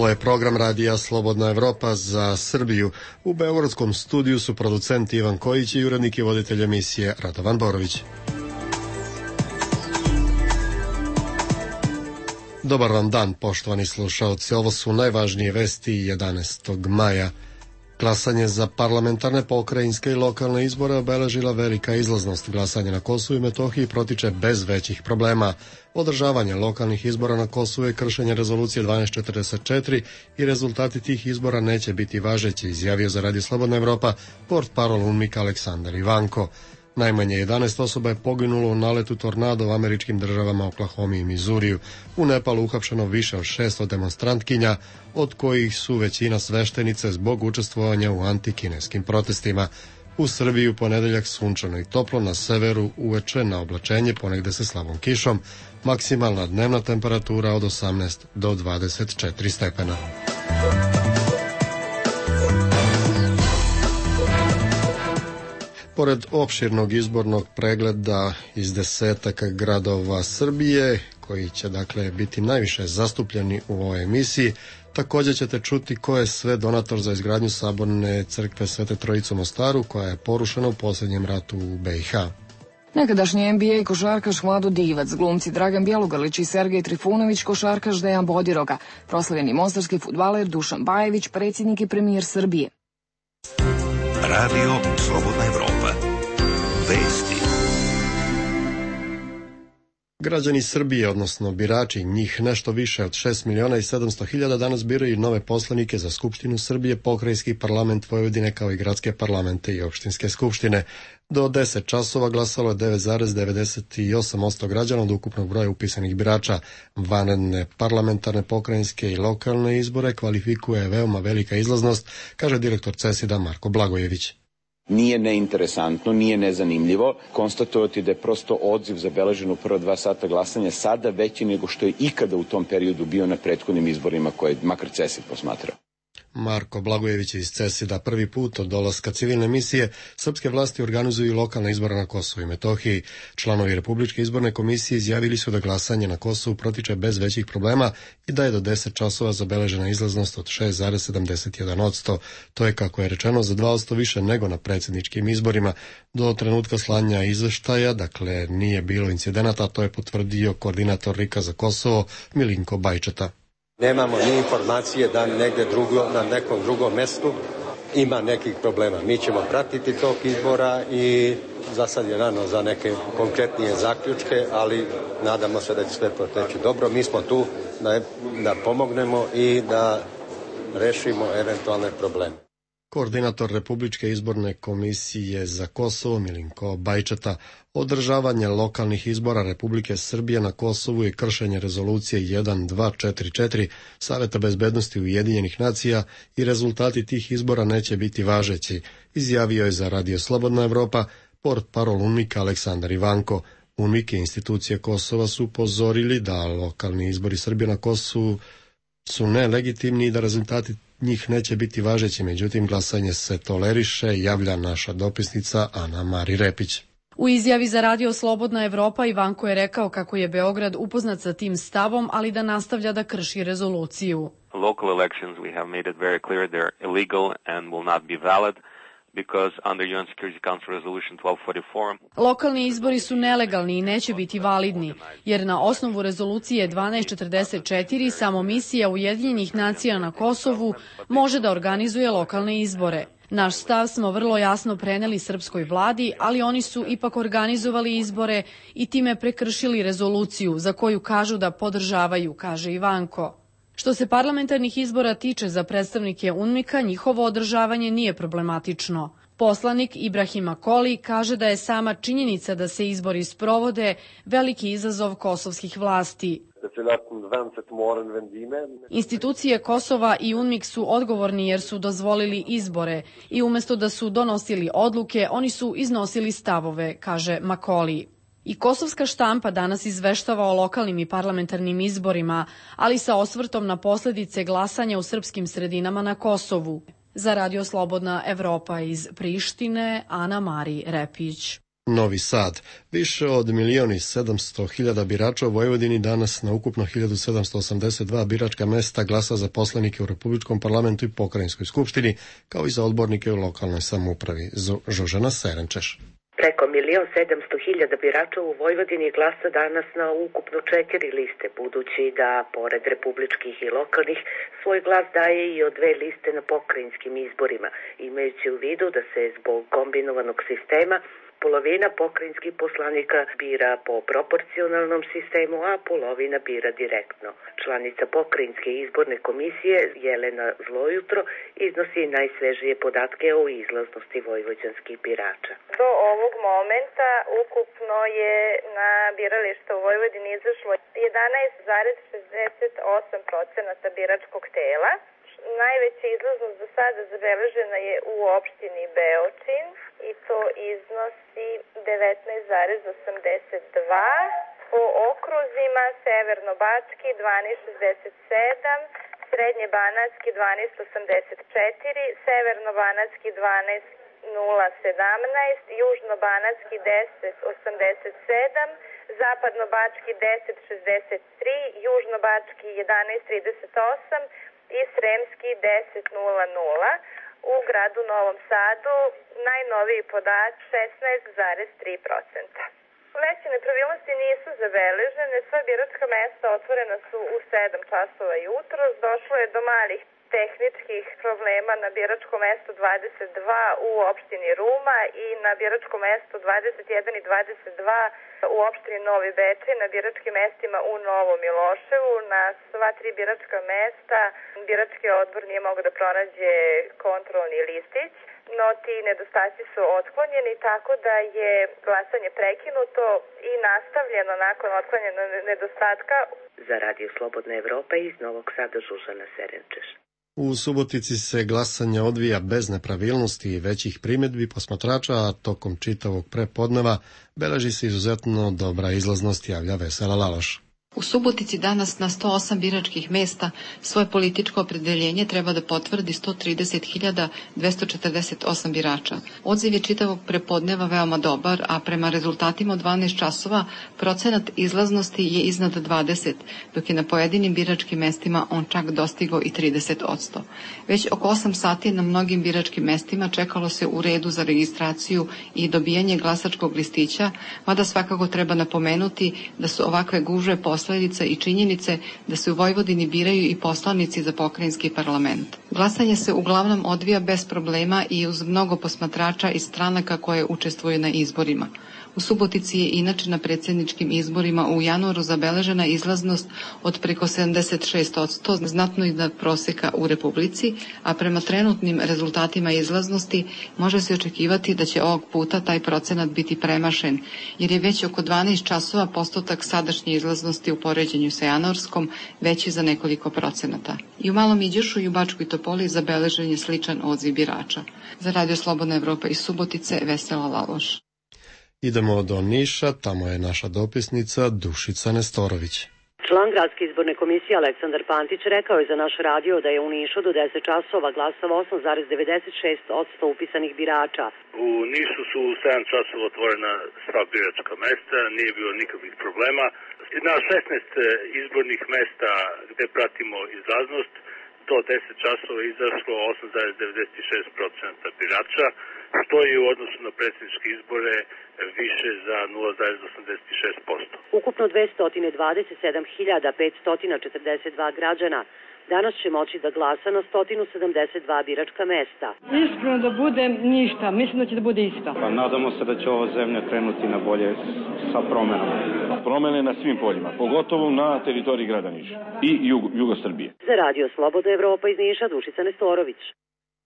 Ovo je program radija Slobodna Evropa za Srbiju. U beogradskom studiju su producent Ivan Kojić i urednik i voditelj emisije Radovan Borović. Dobar vam dan, poštovani slušaoci. Ovo su najvažnije vesti 11. maja. Glasanje za parlamentarne, pokrajinske i lokalne izbore obeležila velika izlaznost. Glasanje na Kosovu i Metohiji protiče bez većih problema. Održavanje lokalnih izbora na Kosovu je kršenje rezolucije 1244 i rezultati tih izbora neće biti važeći, izjavio za Radio Slobodna Evropa portparol UNMIK Aleksandar Ivanko. Najmanje 11 osoba je poginulo u naletu tornada u američkim državama Oklahomi i Mizuriju. U Nepalu uhapšeno više od 600 demonstrantkinja, od kojih su većina sveštenice zbog učestvovanja u antikineskim protestima. U Srbiji u ponedeljak sunčano i toplo, na severu uveče na oblačenje, ponegde sa slabom kišom. Maksimalna dnevna temperatura od 18 do 24 stepena. Pored opširnog izbornog pregleda iz desetaka gradova Srbije, koji će dakle biti najviše zastupljeni u ovoj emisiji, također ćete čuti ko je sve donator za izgradnju saborne crkve Svete Trojice u Mostaru, koja je porušena u posljednjem ratu u BiH. Nekadašnji NBA košarkaš Vlado Divac, glumci Dragan Bjelogrlić i Sergej Trifunović, košarkaš Dejan Bodiroga, proslavljeni mostarski fudbaler Dušan Bajević, predsjednik i premijer Srbije. Radio Slobodna Evropa. Vesti. Građani Srbije, odnosno birači, njih nešto više od 6.700.000 danas biraju nove poslanike za Skupštinu Srbije, pokrajinski parlament Vojvodine kao i gradske parlamente i opštinske skupštine. Do 10 časova glasalo je 9,98% građana od ukupnog broja upisanih birača. Vanredne parlamentarne, pokrajinske i lokalne izbore kvalifikuje veoma velika izlaznost, kaže direktor CESID-a Marko Blagojević. Nije neinteresantno, nije nezanimljivo konstatovati da je prosto odziv zabeležen u prva 2 sata glasanja sada veći nego što je ikada u tom periodu bio na prethodnim izborima koje makar CESID posmatrao. Marko Blagojević iz CESID-a. Prvi put od dolaska civilne misije srpske vlasti organizuju lokalne izbore na Kosovu i Metohiji. Članovi Republičke izborne komisije izjavili su da glasanje na Kosovu protiče bez većih problema i da je do 10 časova zabeležena izlaznost od 6,71%. To je, kako je rečeno, za 2% više nego na predsjedničkim izborima. Do trenutka slanja izveštaja, dakle, nije bilo incidenata, to je potvrdio koordinator RIK-a za Kosovo Milinko Bajčeta. Nemamo ni informacije da negde na nekom drugom mestu ima nekih problema. Mi ćemo pratiti tok izbora i za sad je rano za neke konkretnije zaključke, ali nadamo se da će sve proteći dobro. Mi smo tu da pomognemo i da rešimo eventualne probleme. Koordinator Republičke izborne komisije za Kosovo Milinko Bajčeta. Održavanje lokalnih izbora Republike Srbije na Kosovu je kršenje rezolucije 1244 Saveta bezbednosti Ujedinjenih nacija i rezultati tih izbora neće biti važeći, izjavio je za Radio Slobodna Evropa portparol UNMIK-a Aleksandar Ivanko. UNMIK i institucije Kosova su upozorili da lokalni izbori Srbije na Kosovu su nelegitimni i da rezultati njih neće biti važeći, međutim glasanje se toleriše, javlja naša dopisnica Ana Mari Repić. U izjavi za Radio Slobodna Evropa Ivanko je rekao kako je Beograd upoznat sa tim stavom, ali da nastavlja da krši rezoluciju. Local elections we have made it very clear they're illegal and will not be valid. Lokalni izbori su nelegalni i neće biti validni, jer na osnovu rezolucije 1244 samo misija Ujedinjenih nacija na Kosovu može da organizuje lokalne izbore. Naš stav smo vrlo jasno preneli srpskoj vladi, ali oni su ipak organizovali izbore i time prekršili rezoluciju za koju kažu da podržavaju, kaže Ivanko. Što se parlamentarnih izbora tiče za predstavnike UNMIK-a, njihovo održavanje nije problematično. Poslanik Ibrahim Akoli kaže da je sama činjenica da se izbori sprovode veliki izazov kosovskih vlasti. Institucije Kosova i UNMIK su odgovorni jer su dozvolili izbore i umjesto da su donosili odluke, oni su iznosili stavove, kaže Makoli. I kosovska štampa danas izveštava o lokalnim i parlamentarnim izborima, ali sa osvrtom na posljedice glasanja u srpskim sredinama na Kosovu. Za Radio Slobodna Evropa iz Prištine, Ana Mari Repić. Novi Sad. Više od 1.700.000 birača u Vojvodini danas na ukupno 1.782 biračka mesta glasa za poslanike u Republičkom parlamentu i Pokrajinskoj skupštini, kao i za odbornike u lokalnoj samoupravi. Žožana Serenčeš. Preko 1.700.000 birača u Vojvodini glasa danas na ukupno 4 liste, budući da, pored republičkih i lokalnih, svoj glas daje i od 2 liste na pokrajinskim izborima, imajući u vidu da se zbog kombinovanog sistema polovina pokrajinskih poslanika bira po proporcionalnom sistemu, a polovina bira direktno. Članica pokrajinske izborne komisije Jelena Zlojutro iznosi najsvežije podatke o izlaznosti vojvođanskih birača. Do ovog momenta ukupno je na birališta u Vojvodini izašlo 11,68% biračkog tela. Najveća izlaznost do sada zabeležena je u opštini Beočin i to iznosi 19,82%. Po okruzima Severno-Bački 12,67%, Srednje-Banatski 12,84%, Severno-Banatski 12,017%, Južno-Banatski 10,87%, Zapadno-Bački 10,63%, Južno-Bački 11,38% i Sremski 10,00. U gradu Novom Sadu najnoviji podaci 16,3%. Veće nepravilnosti nisu zabeležene, sva biračka mesta otvorena su u 7 časova jutros, došlo je do malih tehničkih problema na biračkom mestu 22 u opštini Ruma i na biračkom mestu 21 i 22 u opštini Novi Bečej, na biračkim mestima u Novom Miloševu. Na sva 3 biračka mesta birački odbor nije mogao da pronađe kontrolni listić, no ti nedostaci su otklonjeni, tako da je glasanje prekinuto i nastavljeno nakon otklanjena nedostatka. Za Radio Slobodna Evropa iz Novog Sada Žužana Serenčeš. U Subotici se glasanje odvija bez nepravilnosti i većih primjedbi posmatrača, a tokom čitavog prepodneva beleži se izuzetno dobra izlaznost, javlja Vesela Laloš. U Subotici danas na 108 biračkih mesta svoje političko opredeljenje treba da potvrdi 130.248 birača. Odziv je čitavog prepodneva veoma dobar, a prema rezultatima od 12 časova procenat izlaznosti je iznad 20, dok je na pojedinim biračkim mestima on čak dostigao i 30%. Već oko 8 sati na mnogim biračkim mestima čekalo se u redu za registraciju i dobijanje glasačkog listića, mada svakako treba napomenuti da su ovakve gužve posledica i činjenice da se u Vojvodini biraju i poslanici za pokrajinski parlament. Glasanje se uglavnom odvija bez problema i uz mnogo posmatrača iz stranaka koje učestvuju na izborima. U Subotici je inače na predsjedničkim izborima u januaru zabeležena izlaznost od preko 76%, znatno iznad proseka u Republici, a prema trenutnim rezultatima izlaznosti može se očekivati da će ovog puta taj procenat biti premašen, jer je već oko 12 časova postotak sadašnje izlaznosti u poređenju sa januarskom veći za nekoliko procenata. I u Malom Iđošu i u Bačkoj Topoli zabeležen je sličan odziv birača. Za Radio Slobodna Evropa iz Subotice, Vesela Laloš. Idemo do Niša, tamo je naša dopisnica Dušica Nestorović. Član Gradske izborne komisije Aleksandar Pantić rekao je za naš radio da je u Nišu do 10 časova glasalo 8,96% upisanih birača. U Nišu su u 7 časova otvorena sva biračka mesta, nije bilo nikakvih problema. Na 16 izbornih mesta gde pratimo izlaznost, do 10 časova izašlo 8,96% birača, što je u odnosu na predsjedničke izbore više za 0,86%. Ukupno 227.542 građana danas će moći da glasa na 172 biračka mesta. Iskreno da bude ništa, mislim da će da bude isto. Pa nadamo se da će ova zemlja krenuti na bolje sa promenom. Promene na svim poljima, pogotovo na teritoriji grada Niša i jugo Srbije. Za Radio Slobodna Evropa iz Niša, Dušica Nestorović.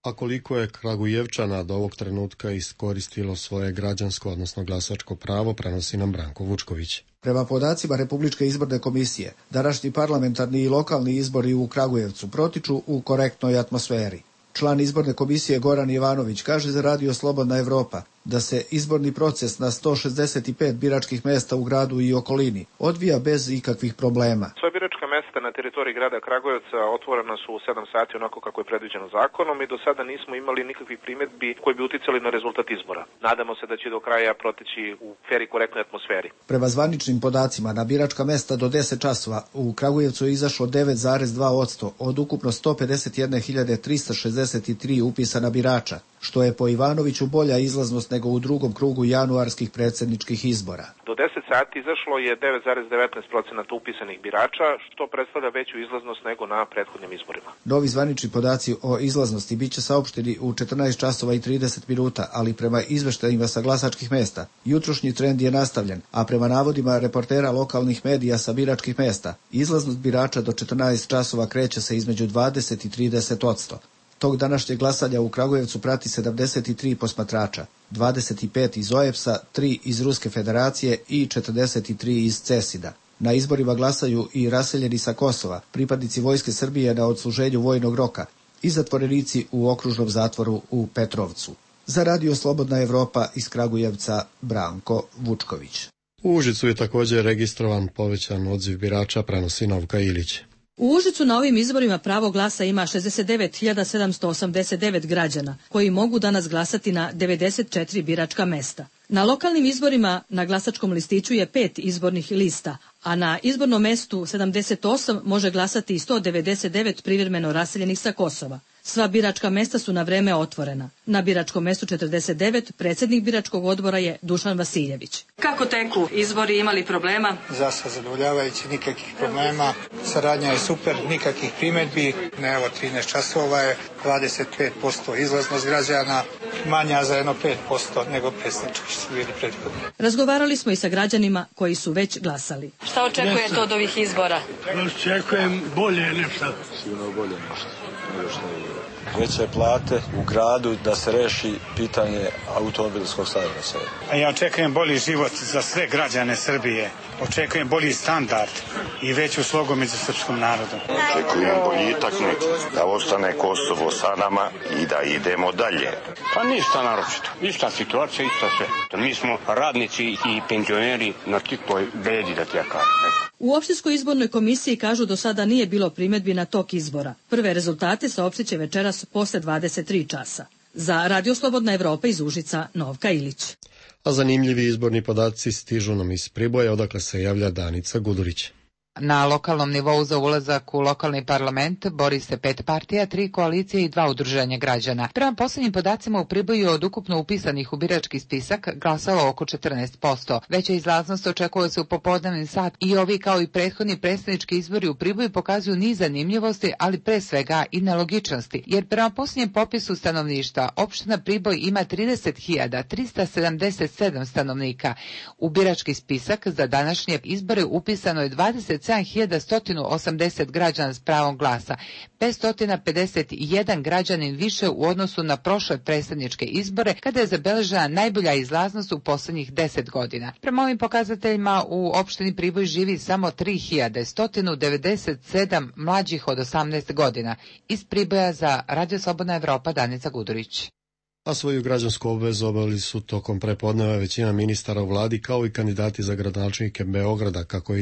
A koliko je Kragujevčana do ovog trenutka iskoristilo svoje građansko, odnosno glasačko pravo, prenosi nam Branko Vučković. Prema podacima Republičke izborne komisije, današnji parlamentarni i lokalni izbori u Kragujevcu protiču u korektnoj atmosferi. Član izborne komisije Goran Ivanović kaže za Radio Slobodna Evropa da se izborni proces na 165 biračkih mesta u gradu i okolini odvija bez ikakvih problema. Sva biračka mesta na teritoriji grada Kragujevca otvorena su u 7 sati onako kako je predviđeno zakonom i do sada nismo imali nikakvih primjedbi koji bi uticali na rezultat izbora. Nadamo se da će do kraja proteći u fer i korektnoj atmosferi. Prema zvaničnim podacima, na biračka mesta do 10 časova u Kragujevcu je izašlo 9,2% od ukupno 151.363 upisana birača, što je po Ivanoviću bolja izlaznost nego u drugom krugu januarskih predsjedničkih izbora. Do 10 sati izašlo je 9,19% upisanih birača, što predstavlja veću izlaznost nego na prethodnim izborima. Novi zvanični podaci o izlaznosti biće saopšteni u 14 časova i 30 minuta, ali prema izveštajima sa glasačkih mesta, jutrošnji trend je nastavljen, a prema navodima reportera lokalnih medija sa biračkih mesta, izlaznost birača do 14 časova kreće se između 20 i 30%. Tog današnjeg glasanja u Kragujevcu prati 73 posmatrača, 25 iz OEBS-a, 3 iz Ruske federacije i 43 iz CESID-a. Na izborima glasaju i raseljeni sa Kosova, pripadnici Vojske Srbije na odsluženju vojnog roka i zatvorenici u okružnom zatvoru u Petrovcu. Za Radio Slobodna Evropa iz Kragujevca, Branko Vučković. U Užicu je također registrovan povećan odziv birača, prenosi Novka Ilić. U Užicu na ovim izborima pravo glasa ima 69.789 građana, koji mogu danas glasati na 94 biračka mesta. Na lokalnim izborima na glasačkom listiću je 5 izbornih lista, a na izbornom mestu 78 može glasati i 199 privremeno raseljenih sa Kosova. Sva biračka mesta su na vreme otvorena. Na biračkom mestu 49 predsjednik biračkog odbora je Dušan Vasiljević. Kako teku izbori, imali problema? Za sad zadovoljavajući, nikakvih problema. Saradnja je super, nikakvih primjedbi. Evo 13 časova je 25% izlaznost građana, manja za jedno 5% nego predsjednički su bili prethodni. Razgovarali smo i sa građanima koji su već glasali. Šta očekujete od ovih izbora? Očekujem bolje nešto. Sigurno bolje nešto. Veće plate u gradu, da se reši pitanje automobilskog saobraćaja. A ja očekujem bolji život za sve građane Srbije. Očekujem bolji standard i veću slogu među srpskom narodom. Očekujem boljitak neki, da ostane Kosovo sa nama i da idemo dalje. Pa ništa naročito, ista situacija, ista sve. Mi smo radnici i penzioneri na titoj bedi, da ti ja kažem. U opštinskoj izbornoj komisiji kažu do sada nije bilo primjedbi na tok izbora. Prve rezultate saopštit će večeras posle 23 časa. Za Radio Slobodna Evropa iz Užica, Novka Ilić. A zanimljivi izborni podaci stižu nam iz Priboja, odakle se javlja Danica Gudurić. Na lokalnom nivou za ulazak u lokalni parlament bori se 5 partija, 3 koalicije i 2 udruženja građana. Prema posljednjim podacima u Priboju od ukupno upisanih u birački spisak glasalo oko 14%. Veća izlaznost očekuje se u popodnevni sat i ovi kao i prethodni predsjednički izbori u Priboju pokazuju niz zanimljivosti, ali pre svega i nelogičnosti. Jer prema posljednjem popisu stanovništva opština Priboj ima 30.377 stanovnika. U birački spisak za današnje izbore upisano je 27.180 građana s pravom glasa, 551 građanin više u odnosu na prošle predsjedničke izbore, kada je zabeležena najbolja izlaznost u posljednjih 10 godina. Prema ovim pokazateljima u opštini Priboj živi samo 3.197 mlađih od 18 godina. Iz Priboja za Radio Slobodna Evropa, Danica Gudurić. A svoju građansku obvezu obavili su tokom prepodneva većina ministara u vladi, kao i kandidati za gradonačelnike Beograda. Kako je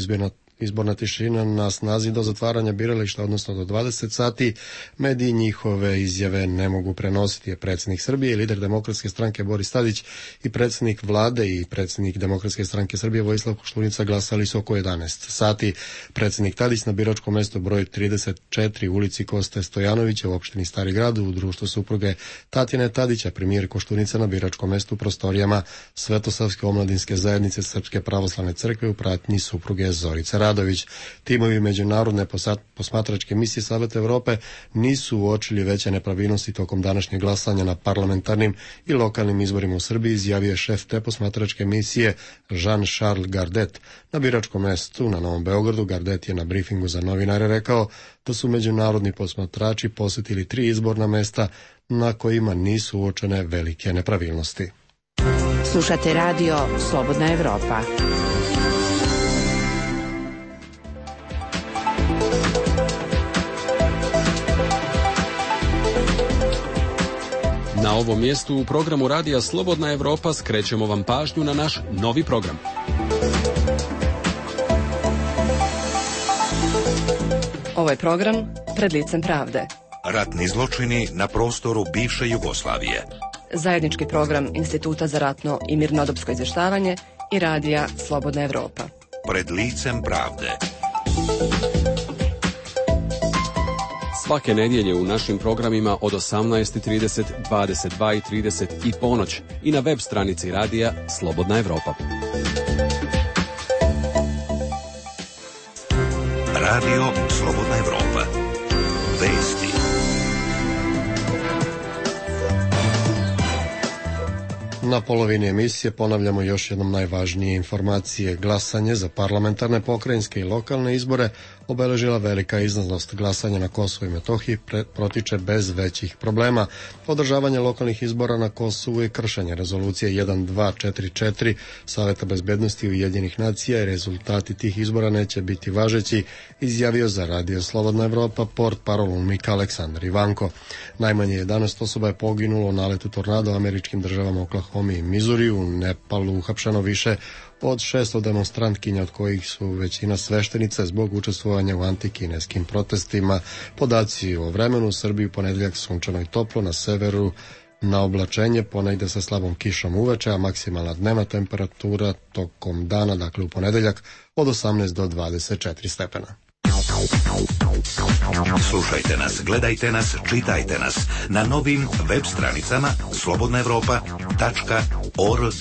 izborna tišina na snazi do zatvaranja birališta, odnosno do 20 sati, mediji njihove izjave ne mogu prenositi. Je predsjednik Srbije i lider Demokratske stranke Boris Tadić i predsjednik vlade i predsjednik Demokratske stranke Srbije Vojislav Koštunica glasali su oko 11 sati. Predsjednik Tadić na biračkom mjestu broj 34 ulici Koste Stojanovića u opštini Stari Grad u društvu supruge Tatjane Tadića, premijer Koštunica na biračkom mjestu u prostorijama Svetosavske omladinske zajednice Srpske pravoslavne crkve u pratnji supruge Zorice Radović. Timovi međunarodne posmatračke misije Saveta Evrope nisu uočili veće nepravilnosti tokom današnjeg glasanja na parlamentarnim i lokalnim izborima u Srbiji, izjavio je šef te posmatračke misije Jean-Charles Gardet. Na biračkom mjestu na Novom Beogradu Gardet je na brifingu za novinare rekao da su međunarodni posmatrači posjetili 3 izborna mesta na kojima nisu uočene velike nepravilnosti. Slušate Radio Slobodna Evropa. Na ovom mjestu u programu Radija Slobodna Evropa skrećemo vam pažnju na naš novi program. Ovo je program Pred licem pravde. Ratni zločini na prostoru bivše Jugoslavije. Zajednički program Instituta za ratno i mirnodopsko izvještavanje i radija Slobodna Evropa. Pred licem pravde. Svake nedjelje u našim programima od 18:30, 22:30 i ponoć i na web stranici radija Slobodna Evropa. Radio Slobodna Evropa. Vesti. Na polovini emisije ponavljamo još jednom najvažnije informacije. Glasanje za parlamentarne, pokrajinske i lokalne izbore obeležila velika izlaznost. Glasanje na Kosovu i Metohiji protiče bez većih problema. Održavanje lokalnih izbora na Kosovu je kršenje rezolucije 1244 Saveta bezbednosti Ujedinjenih nacija i rezultati tih izbora neće biti važeći, izjavio za Radio Slobodna Evropa portparol UNMIK Aleksandar Ivanko. Najmanje 11 osoba je poginulo u naletu tornada u američkim državama Oklahoma i Missouri. U Nepalu uhapšeno više od 600 demonstrantkinja, od kojih su većina sveštenice zbog učestvovanja u antikineskim protestima. Podaci o vremenu u Srbiji u ponedeljak sunčano i toplo, na severu na oblačenje, ponegde sa slabom kišom uveče, a maksimalna dnevna temperatura tokom dana, dakle u ponedeljak, od 18 do 24 stepena. Slušajte nas, gledajte nas, čitajte nas na novim web stranicama slobodnaevropa.org.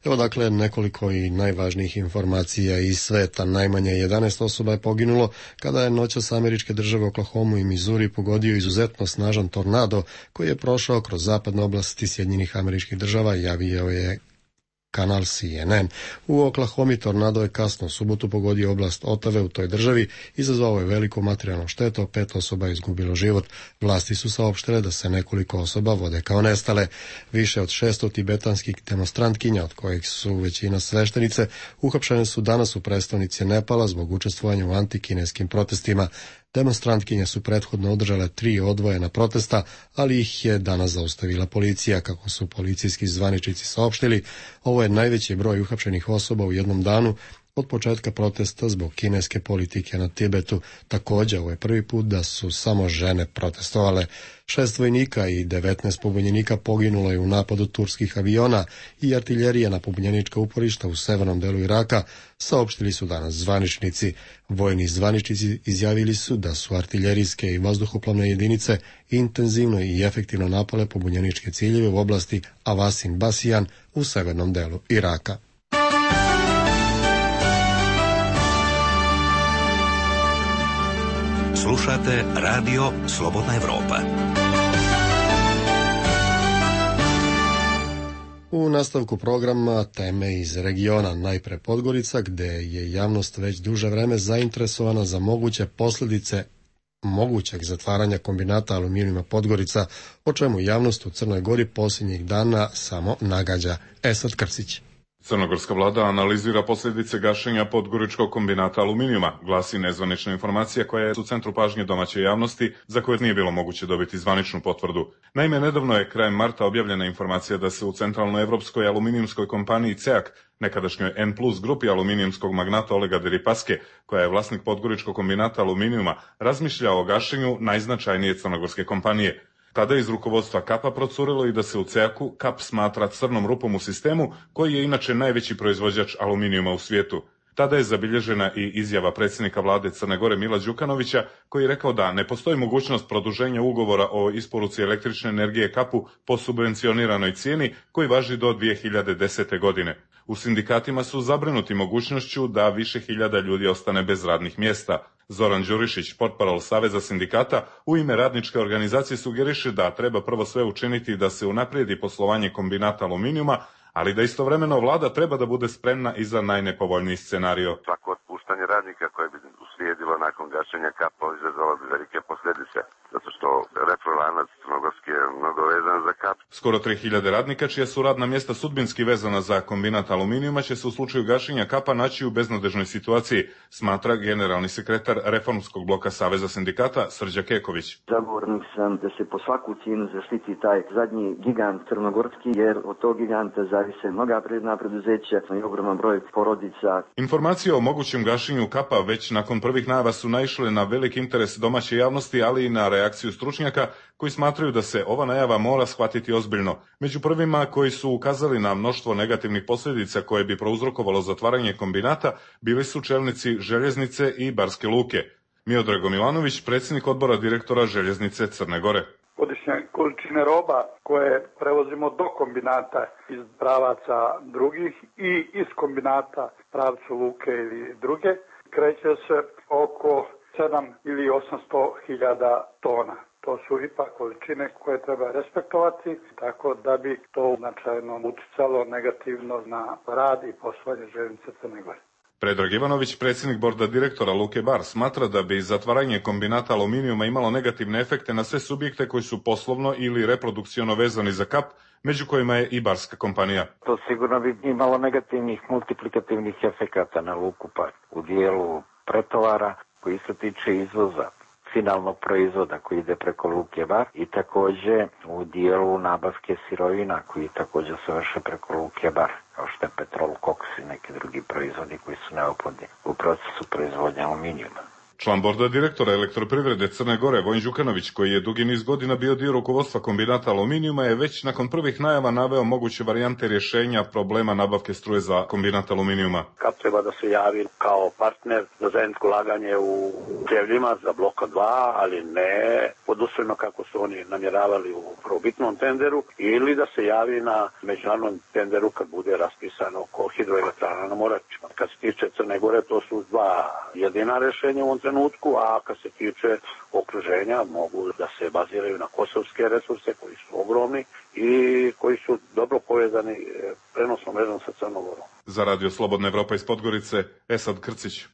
Evo dakle nekoliko i najvažnijih informacija iz sveta. Najmanje 11 osoba je poginulo kada je noćas američke države Oklahomu i Missouri pogodio izuzetno snažan tornado koji je prošao kroz zapadne oblasti Sjedinjenih Američkih Država, javio je kanal CNN. U Oklahomi tornado je kasno u subotu pogodio oblast Otave u toj državi, izazvao je veliku materijalnu štetu, 5 osoba je izgubilo život. Vlasti su saopštile da se nekoliko osoba vode kao nestale. Više od 600 tibetanskih demonstrantkinja, od kojih su većina sveštenice, uhapšene su danas u prestonici Nepala zbog učestvovanja u antikineskim protestima. Demonstrantkinje su prethodno održale 3 odvojena protesta, ali ih je danas zaustavila policija. Kako su policijski zvaničnici saopštili, ovo je najveći broj uhapšenih osoba u jednom danu od početka protesta zbog kineske politike na Tibetu. Također, ovo je prvi put da su samo žene protestovale. 6 vojnika i 19 pobunjenika poginulo je u napadu turskih aviona i artiljerije na pobunjenička uporišta u severnom delu Iraka, saopštili su danas zvaničnici. Vojni zvaničnici izjavili su da su artiljerijske i vazduhoplovne jedinice intenzivno i efektivno napale pobunjeničke ciljeve u oblasti Avasin Basijan u severnom delu Iraka. Slušate Radio Slobodna Evropa. U nastavku programa teme iz regiona, najpre Podgorica, gde je javnost već duže vreme zainteresovana za moguće posljedice mogućeg zatvaranja kombinata aluminijuma Podgorica, o čemu javnost u Crnoj Gori posljednjih dana samo nagađa. Esad Krsić. Crnogorska vlada analizira posljedice gašenja Podgoričkog kombinata aluminijuma, glasi nezvanična informacija koja je u centru pažnje domaće javnosti, za koje nije bilo moguće dobiti zvaničnu potvrdu. Naime, nedavno je krajem marta objavljena informacija da se u centralnoevropskoj aluminijumskoj kompaniji CEAK, nekadašnjoj N+ grupi aluminijumskog magnata Olega Deripaske, koja je vlasnik Podgoričkog kombinata aluminijuma, razmišlja o gašenju najznačajnije crnogorske kompanije. Tada je iz rukovodstva KAP-a procurilo i da se u CEAK-u KAP smatra crnom rupom u sistemu, koji je inače najveći proizvođač aluminijuma u svijetu. Tada je zabilježena i izjava predsjednika vlade Crne Gore Mila Đukanovića, koji je rekao da ne postoji mogućnost produženja ugovora o isporuci električne energije KAP-u po subvencioniranoj cijeni koji važi do 2010. godine. U sindikatima su zabrinuti mogućnošću da više hiljada ljudi ostane bez radnih mjesta. Zoran Đurišić, portparol Saveza sindikata, u ime radničke organizacije sugeriše da treba prvo sve učiniti da se unaprijedi poslovanje kombinata aluminijuma, ali da istovremeno vlada treba da bude spremna i za najnepovoljniji scenario. Svako otpuštanje radnika koje bi uslijedilo nakon gašenja KAP-a izazvalo bi velike posljedice, zato što reprolanac crnogorski je mnogo vezan za kap. Skoro 3000 radnika čija su radna mjesta sudbinski vezana za kombinat aluminijuma će se u slučaju gašenja kapa naći u beznadežnoj situaciji, smatra generalni sekretar Reformskog bloka Saveza sindikata Srđa Keković. Zagovornik sam da se po svaku cijenu zaštiti taj zadnji gigant crnogorski, jer od tog giganta zavise mnoga privredna preduzeća i ogroman broj porodica. Informacije o mogućem gašenju kapa već nakon prvih najava su naišle na velik interes domaće javnosti, ali i na reakciju stručnjaka koji smatraju da se ova najava mora shvatiti ozbiljno. Među prvima koji su ukazali na mnoštvo negativnih posljedica koje bi prouzrokovalo zatvaranje kombinata bili su čelnici Željeznice i Barske luke. Miodrago Milanović, predsjednik odbora direktora Željeznice Crne Gore. Godišnje količine roba koje prevozimo do kombinata iz pravaca drugih i iz kombinata pravcu luke ili druge kreće se oko 7 ili 800 hiljada tona. To su ipak količine koje treba respektovati, tako da bi to značajno uticalo negativno na rad i poslovanje Željeznice Crne Gore. Predrag Ivanović, predsjednik borda direktora Luke Bar, smatra da bi zatvaranje kombinata aluminijuma imalo negativne efekte na sve subjekte koji su poslovno ili reprodukciono vezani za kap, među kojima je i barska kompanija. To sigurno bi imalo negativnih multiplikativnih efekata na Luku Bar u dijelu pretovara koji se tiče izvoza finalnog proizvoda koji ide preko Luke Bar i također u dijelu nabavke sirovina koji također se vrše preko Luke Bar, kao što je petrol, koks i neki drugi proizvodi koji su neophodni u procesu proizvodnje aluminijuma. Član borda direktora Elektroprivrede Crne Gore Vojin Đukanović, koji je dugi niz godina bio dio rukovodstva kombinata aluminijuma, je već nakon prvih najava naveo moguće varijante rješenja problema nabavke struje za kombinat aluminijuma. Kap treba da se javi kao partner za zajedničko ulaganje u Đevljima za bloka 2, ali ne podusredno kako su oni namjeravali u prvobitnom tenderu, ili da se javi na međunarodnom tenderu kad bude raspisano oko hidroelektrana na Moračima. Kad se tiče Crne Gore, to su dva jedina rješenja u ovom trenutku, a kad se tiče okruženja mogu da se baziraju na kosovske resurse koji su ogromni i koji su dobro povezani prenosnom mrežom sa Crnom Gorom. Za Radio Slobodna Evropa iz Podgorice, Esad Krcić.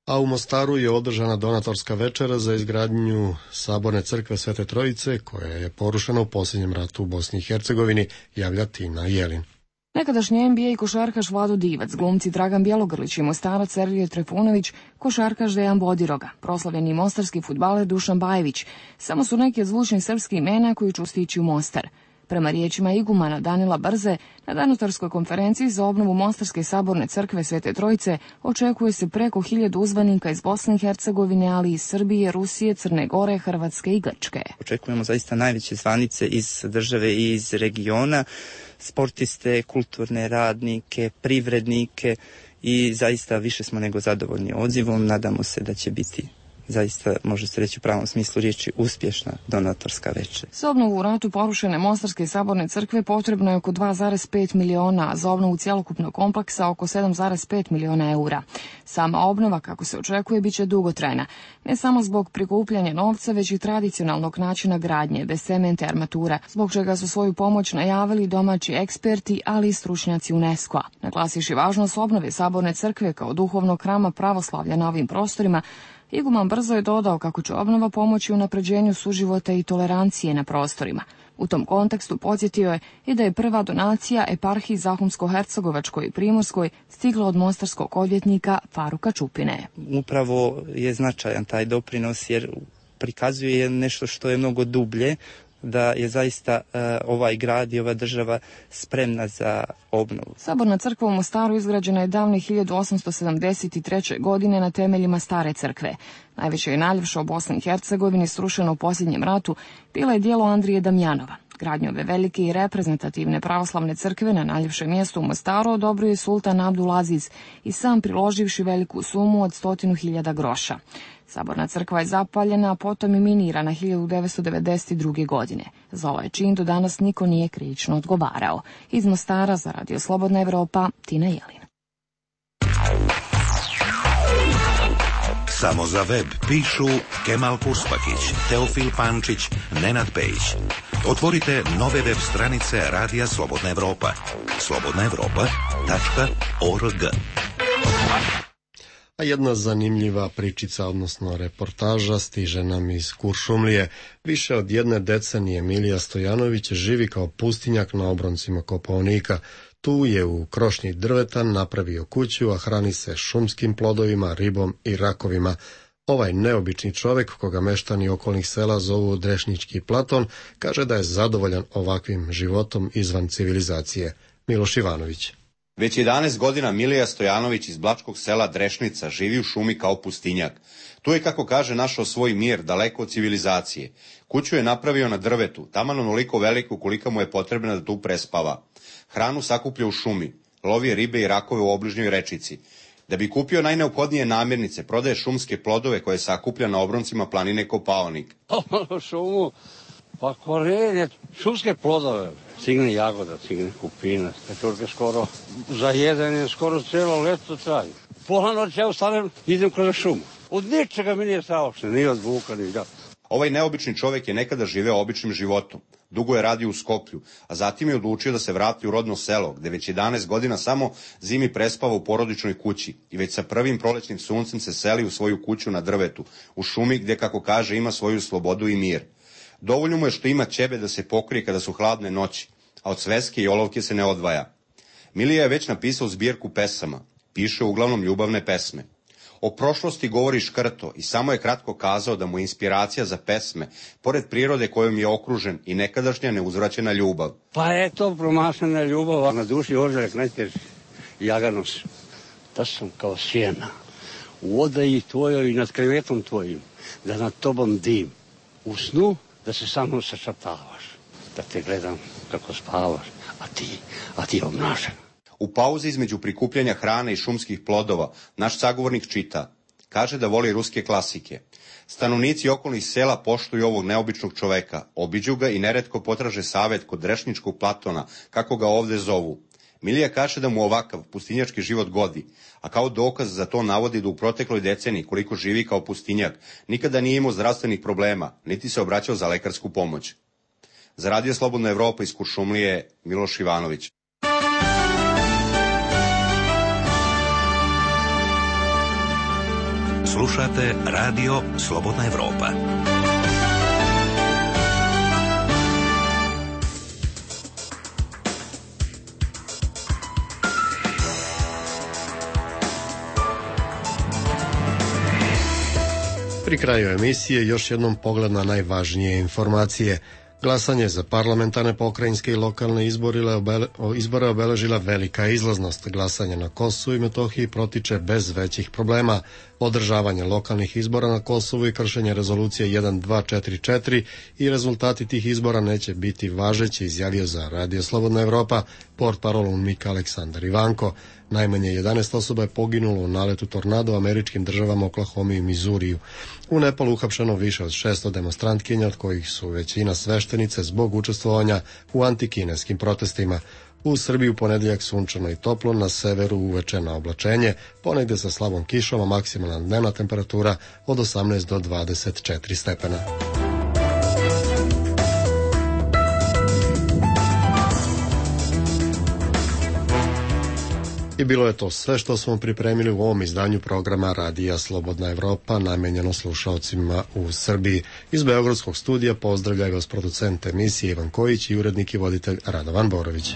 A u Mostaru je održana donatorska večera za izgradnju Saborne crkve Svete Trojice, koja je porušena u posljednjem ratu u Bosni i Hercegovini, javlja Tina Jelin. Nekadašnji NBA košarkaš Vlado Divac, glumci Dragan Bjelogrlić i Mostarac Sergej Trifunović, košarkaš Dejan Bodiroga, proslavljeni mostarski fudbaler Dušan Bajević, samo su neki od zvučnih srpskih imena koji će stići u Mostar. Prema riječima igumana Danila Brze, na donatorskoj konferenciji za obnovu Mostarske saborne crkve Svete Trojice očekuje se preko 1000 uzvanika iz Bosne i Hercegovine, ali i iz Srbije, Rusije, Crne Gore, Hrvatske i Grčke. Očekujemo zaista najveće zvanice iz države i iz regiona, sportiste, kulturne radnike, privrednike i zaista više smo nego zadovoljni odzivom. Nadamo se da će biti zaista, može se reći u pravom smislu riječi, uspješna donatorska večer. Za obnovu u ratu porušene Mostarske saborne crkve potrebno je oko 2,5 miliona, a za obnovu cjelokupnog kompleksa oko 7,5 miliona eura. Sama obnova, kako se očekuje, bit će dugotrajna. Ne samo zbog prikupljanja novca, već i tradicionalnog načina gradnje, bez cementa i armatura, zbog čega su svoju pomoć najavili domaći eksperti, ali i stručnjaci UNESCO-a. Naglasiši važnost obnove saborne crkve kao duhovnog hrama pravoslavlja na ovim prostorima, iguman Brzo je dodao kako će obnova pomoći u unapređenju suživota i tolerancije na prostorima. U tom kontekstu podsjetio je i da je prva donacija eparhiji Zahumsko-Hercegovačkoj i Primorskoj stigla od mostarskog odvjetnika Faruka Čupine. Upravo je značajan taj doprinos jer prikazuje nešto što je mnogo dublje, da je zaista ovaj grad i ova država spremna za obnovu. Saborna crkva u Mostaru izgrađena je davne 1873. godine na temeljima stare crkve. Najveća i najljepša u Bosni i Hercegovini, srušena u posljednjem ratu, bila je djelo Andrije Damjanova. Gradnju ove velike i reprezentativne pravoslavne crkve na najljepše mjesto u Mostaru odobrio je sultan Abdulaziz i sam priloživši veliku sumu od 100.000 groša. Saborna crkva je zapaljena, a potom i minirana 1992. godine. Za ovaj čin do danas niko nije krivično odgovarao. Iz Mostara za Radio Slobodna Evropa, Tina Jelin. Samo za web pišu Kemal Puspakić, Teofil Pančić, Nenad Pejić. Otvorite nove web stranice Radija Slobodna Evropa. slobodnaevropa.org. A jedna zanimljiva pričica, odnosno reportaža, stiže nam iz Kuršumlije. Više od jedne decenije Milija Stojanović živi kao pustinjak na obroncima Kopaonika. Tu je u krošnji drveta napravio kuću, a hrani se šumskim plodovima, ribom i rakovima. Ovaj neobični čovjek, koga meštani okolnih sela zovu Drešnički Platon, kaže da je zadovoljan ovakvim životom izvan civilizacije. Miloš Ivanović. Već 11 godina Milija Stojanović iz blačkog sela Drešnica živi u šumi kao pustinjak. Tu je, kako kaže, našao svoj mir, daleko od civilizacije. Kuću je napravio na drvetu, taman onoliko veliku kolika mu je potrebna da tu prespava. Hranu sakuplja u šumi, lovi ribe i rakove u obližnjoj rečici. Da bi kupio najneophodnije namirnice, prodaje šumske plodove koje sakuplja na obroncima planine Kopaonik. Šumu, pa korenje, šumske plodove, cigne jagoda, cigne kupina, pečurke skoro, za jedenje skoro cijelo leto traju. Pola noći ja ustanem, idem kroz šumu. Od ničega mi nije saopšte, ni od vuka, ni da. Ovaj neobični čovjek je nekada živeo običnim životom. Dugo je radio u Skoplju, a zatim je odlučio da se vrati u rodno selo, gde već 11 godina samo zimi prespava u porodičnoj kući i već sa prvim prolećnim suncem se seli u svoju kuću na drvetu, u šumi gde, kako kaže, ima svoju slobodu i mir. Dovoljno mu je što ima ćebe da se pokrije kada su hladne noći, a od sveske i olovke se ne odvaja. Milija je već napisao zbirku pesama, piše uglavnom ljubavne pesme. O prošlosti govori škrto i samo je kratko kazao da mu je inspiracija za pesme, pored prirode kojom je okružen, i nekadašnja neuzvraćena ljubav. Pa eto, promašena ljubav, a na duši ožaljak najteži, jaganos. Da sam kao sjena, u odaji tvojoj i nad krevetom tvojim, da nad tobom dim. U snu da se sa mnom sačatavaš, da te gledam kako spavaš, a ti obnašen. U pauzi između prikupljanja hrane i šumskih plodova, naš sagovornik čita. Kaže da voli ruske klasike. Stanovnici okolnih sela poštuju ovog neobičnog čoveka, obiđu ga i neretko potraže savet kod Drešničkog Platona, kako ga ovde zovu. Milija kaže da mu ovakav pustinjački život godi, a kao dokaz za to navodi da u protekloj deceniji, koliko živi kao pustinjak, nikada nije imao zdravstvenih problema, niti se obraćao za lekarsku pomoć. Za Radio Slobodna Evropa iz Kuršumlije, Miloš Ivanović. Slušate Radio Slobodna Evropa. Pri kraju emisije još jednom pogled na najvažnije informacije. Glasanje za parlamentarne, pokrajinske i lokalne izbore obeležila velika izlaznost. Glasanje na Kosovu i Metohiji protiče bez većih problema. Održavanje lokalnih izbora na Kosovu i kršenje rezolucije 1244 i rezultati tih izbora neće biti važeći, izjavio za Radio Slobodna Evropa portparol UNMIK Aleksandar Ivanko. Najmanje 11 osoba je poginulo u naletu tornada u američkim državama Oklahomi i Mizuriju. U Nepalu uhapšeno više od 600 demonstrantkinja, od kojih su većina sveštenice zbog učestvovanja u antikineskim protestima. U Srbiji u ponedeljak sunčano i toplo, na severu uveče na oblačenje, ponegde sa slabom kišom, a maksimalna dnevna temperatura od 18 do 24 stepena. I bilo je to sve što smo pripremili u ovom izdanju programa Radija Slobodna Evropa, namenjeno slušaocima u Srbiji. Iz Beogradskog studija pozdravljaju vas producent emisije Ivan Kojić i urednik i voditelj Radovan Borović.